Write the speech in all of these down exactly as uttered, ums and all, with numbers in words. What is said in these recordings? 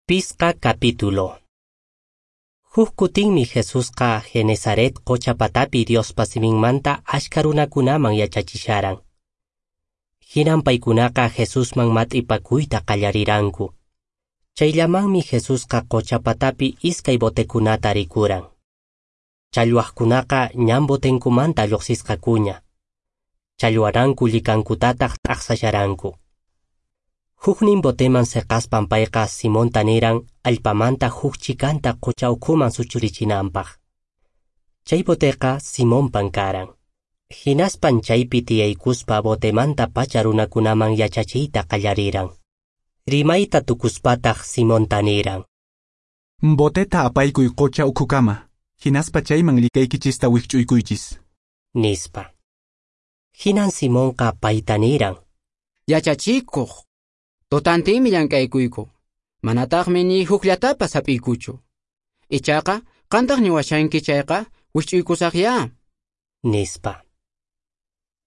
Pisqa capítulo. Huk kutinmi Jesusqa Genesaret qocha patapi Diospa siminmanta ashka runakunaman yachachisharan. Hinan paykunaqa Jesusman mat'ipakuyta qallariranku. Chayllamanmi Jesusqa qocha patapi iskay botekunata rikuran. Challwaqkunaqa ñan botenkumanta lluqsisqakuña. Challwaranku llikankutataq t'aqsasharanku. Huknin boteman seqaspan payqa Simonta niran allpamanta huk chikanta qocha ukhuman suchurichinanpaq. Chay boteqa Simonpan karan. Hinaspan chaypi tiyaykuspa botemanta pacha runakunaman yachachiyta qallariran. Rimayta tukuspataq Simonta niran: Boteta apaykuy qocha ukhukama, hinaspa chayman likaykichista wikch'uykuychis, nispa. Hinan Simonqa payta niran: Yachachikuq, tutantinmi llank'aykuyku, manataqmi ni hukllatapas hap'iykuchu. Ichaqa qantaq niwashanki chayqa wikch'uykusaqya, nispa.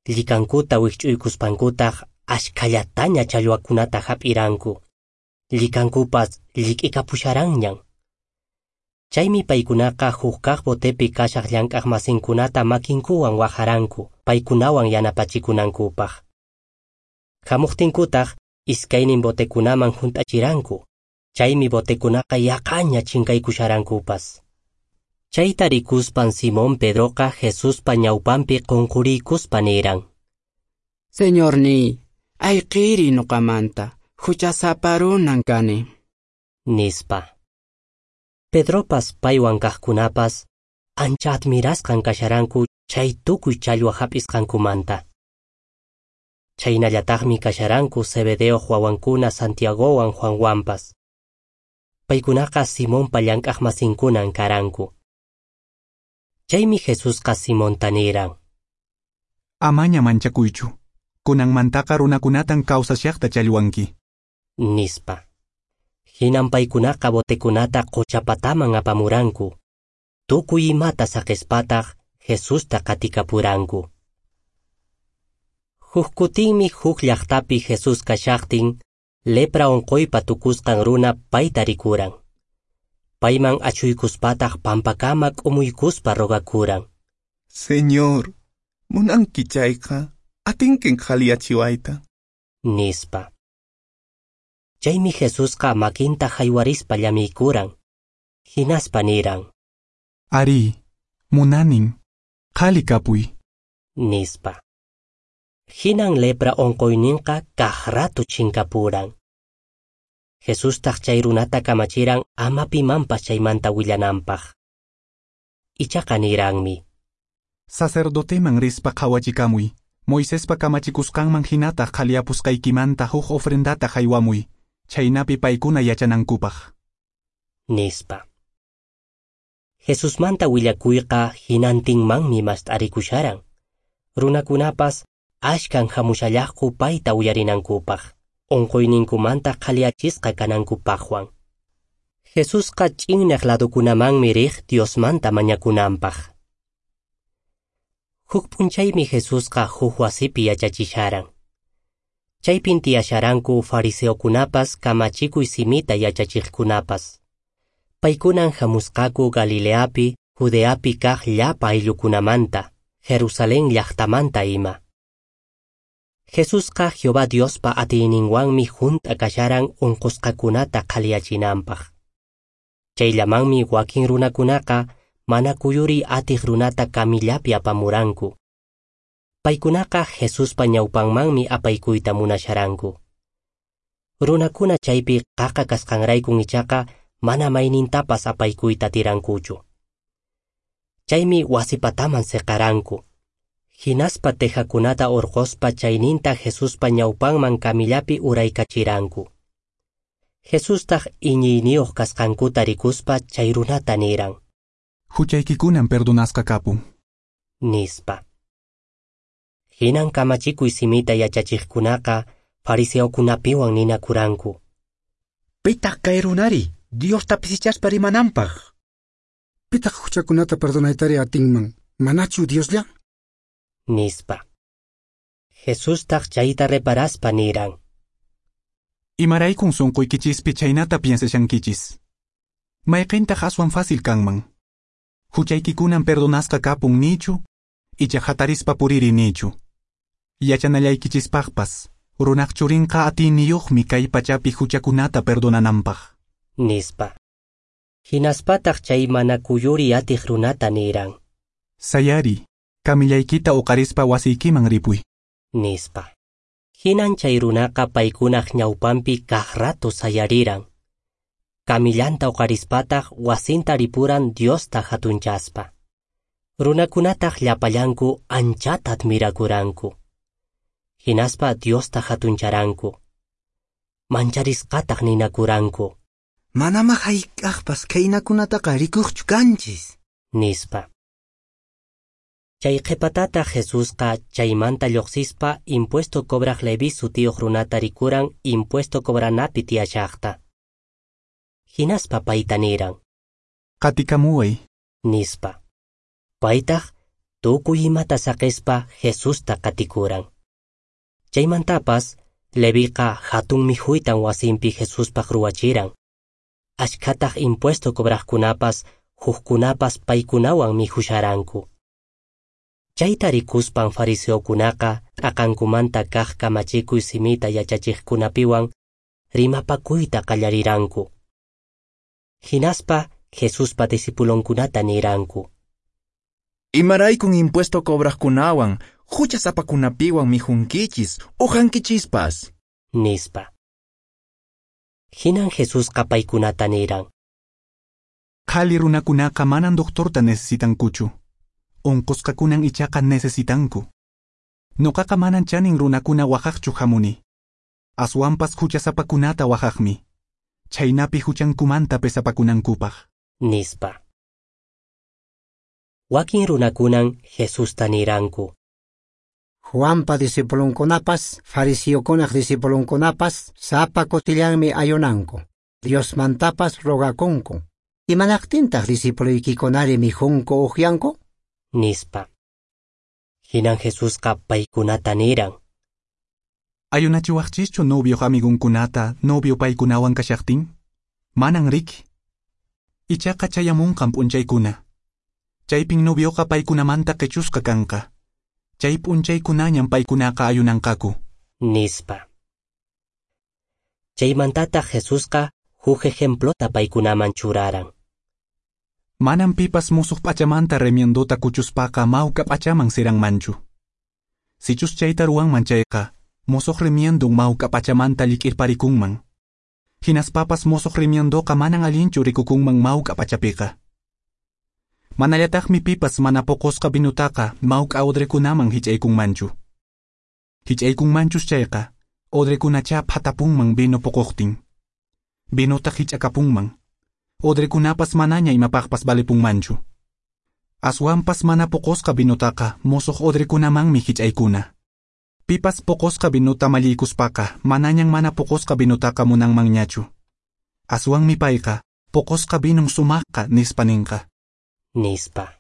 Llikankuta wikch'uykuspankutaq ashkhallataña challwakunata hap'iranku. Llikankupas llik'ikapusharanñan. Chaymi paykunaqa huk kaq botepi kashaq llank'aqmasinkunata makinkuwan waqharanku paykunawan yanapachikunankupaq. Hamuqtinkutaq iskaynin botekunaman hunt'achiranku. Chaymi botekunaqa yaqaña chinkaykusharankupas. Chayta rikuspan Simón Pedroqa Jesuspa ñawpanpi qunquriykuspa niran: Señorniy, ayqiri nuqamanta, huchasapa runan kani, nispa. Pedropas paywan kaqkunapas ancha admirasqan kasharanku chay tukuy challwa hap'isqankumanta. Chaynallataqmi kasharanku Zebedeoq wawankuna Santiagowan Juanwanpas. Paykunaqa Simonpa llank'aqmasinkunan karanku. Chaymi Jesusqa Simonta niran: Amaña manchakuychu, kunanmantaqa runakunatan kawsashaqta challwanki, nispa. Hinan paykunaqa botekunata qocha pataman apamuranku. Tukuy imata saqispataq Jesusta qatikapuranku. Huk kutinmi huk llaqtapi Jesús kashaqtin, lepra unquypa tukusqan runa payta rikuran. Payman achuykuspataq pampakama k'umuykuspa rogakuran: Señor, munanki chayqa, atinkin qhaliyachiwayta, nispa. Chaymi Jesusqa makinta haywarispa llamiykuran. Hinaspa niran: Ari, munanin, qhali kapuy, nispa. Hinan lepra unquyninqa kaq ratu chinkapuran. Jesustaq chay runata kamachiran ama pimanpas chaymanta willananpaq. Ichaqa niranmi: Sacerdoteman rispa qhawachikamuy, Moisespa kamachikusqanman hinataq qhaliyapusqaykimanta huk ofrendata haywamuy, chaynapi paykuna yachanankupaq, nispa. Jesusmanta willakuyqa hinantinmanmi mast'arikusharan. Runakunapas ashkan hamushallaqku payta uyarinankupaq, unquyninkumanta qhaliyachisqa kanankupaqwan. Jesusqa ch'innaq ladukunamanmi riq Diosmanta mañakunanpaq. Huk p'unchaymi Jesusqa huk wasipi yachachisharan. Chaypin tiyasharanku fariseokunapas kamachikuy simita yachachiqkunapas. Paykunan hamusqaku Galileapi, Judeapi kaq llapa ayllukunamanta, Jerusalén llaqtamanta ima. Jesusqa Jehová Diospa atiyninwanmi hunt'a kasharan unqusqakunata qhaliyachinanpaq. Chayllamanmi wakin runakunaqa mana kuyuriy atiq runata kamillapi apamuranku. Paykunaqa Jesuspa ñawpanmanmi apaykuyta munasharanku. Runakuna chaypi qaqa kasqanraykun ichaqa mana maynintapas apaykuyta atirankuchu. Chaymi wasipataman seqaranku. Hinaspa tejakunata urquspa chayninta Jesuspa ñawpanman kamillapi uraykachiranku. Jesustaq iñiyniyuq kasqankuta rikuspa chay runata niran: Huchaykikunan perdonasqa kapun, nispa. Hinan kamachikuy simita yachachiqkunaqa fariseokunapiwan ninakuranku: Pitaq kay runari Diosta pisichaspa rimananpaq? Pitaq huchakunata perdonaytari atinman, manachu Dioslla? Nispa. Jesustaq chayta reparaspa niran: Imaraykun sunquykichispi chaynata piensashankichis. Mayqintaq aswan fácil kanman. Huchaykikunan perdonasqa kapun nichu, icha hatarispa puriri nichu. Yachanallaykichispaqpas, runaq churinqa atiyniyuqmi kay pachapi huchakunata perdonananpaq. Nispa. Hinaspataq chay mana kuyuri atiq runata niran. Sayari, kamillaykita uqarispa wasiykiman ripuy. Nispa. Hinan chay runaqa paykunaq ñawpanpi kaq rato sayariran. Kamillanta uqarispataq wasinta ripuran Diosta hatunchaspa. Runakunataq llapallanku anchata admirakuranku. Hinaspa Diosta hatuncharanku. Mancharisqataq ninakuranku. Manama hayk'aqpas khaynakunataqa rikuqchu kanchis. Nispa. Chay qhipatataq Jesusqa chaymanta lluqsispa impuesto cobraq Leví sutiyuq runata rikuran impuesto cobranapi tiyashaqta. Hinaspa payta niran. Qatikamuway. Nispa. Paytaq tukuy imata saqispa Jesusta qatikuran. Chaymantapas Leviqa hatun mikhuytan wasinpi Jesuspaq ruwachiran. Ashkhataq impuesto cobraqkunapas hukkunapas paykunawan mikhusharanku. Chayta rikuspan fariseokunaqa t'aqankumanta kaq kamachikuy simita yachachiqkunapiwan rimapakuyta qallariranku. Hinaspa Jesuspa discipulonkunata niranku. Imaraykun impuesto cobraqkunawan huchasapakunapiwan mikhunkichis uhankichispas. Nispa. Hinan Jesusqa paykunata niran. Qhali runakunaqa manan doctorta necesitankuchu. Unqusqakunan ichaqa necesitanku. Nuqaqa manan chanin runakuna waqaqchu hamuni. Aswanpas huchasapakunata waqaqmi. Chhaynapi huchankumanta pesapakunankupaq. Nispa. Wakin runakunan Jesusta niranku. Juanpa discipulonkunapas, fariseokunaq discipulonkunapas sapa kutillanmi ayunanku. Diosmantapas rogakunku. Imanaqtintaq discipuluykikunari mikhunku uqyanku? Nispa. Hinan Jesusqa paykunata niran. Ayunachiwaqchischu novioq amigunkunata novio paykunawan kashaqtin? Manan riki. Ichaqa chayamunqan p'unchaykuna. Chaypin novioqa paykunamanta qichusqa kanqa. Chay p'unchaykunañan paykunaqa ayunanqaku. Nispa. Chaymantataq Jesusqa huk ejemplota paykunaman churaran. Manan pipas musuq p'achamanta remiendota kuchuspaqa mawka p'achaman siranmanchu. Sichus chayta ruwanman chayqa, musuq remiendon mawka p'achamanta llik'irparikunman. Hinaspapas musuq remiendoqa manan allinchu rikukunman mawka p'achapiqa. Manallataqmi pipas mana poqosqa vinutaqa mawk'a odrekunaman hich'aykunmanchu. Hich'aykunmanchus chayqa, odrekunacha phatapunman vino poqoqtin. Vinotaq hich'akapunman. Odrekunapas manaña imapaqpas valepunmanchu. Aswanpas mana poqosqa vinutaqa musuq odrekunamanmi hich'aykuna. Pipas poqosqa vinuta malliykuspaqa manañan mana poqosqa vinutaqa munanmanñachu. Aswanmi payqa poqosqa vinun sumaqqa nispa ninqa. Nispa.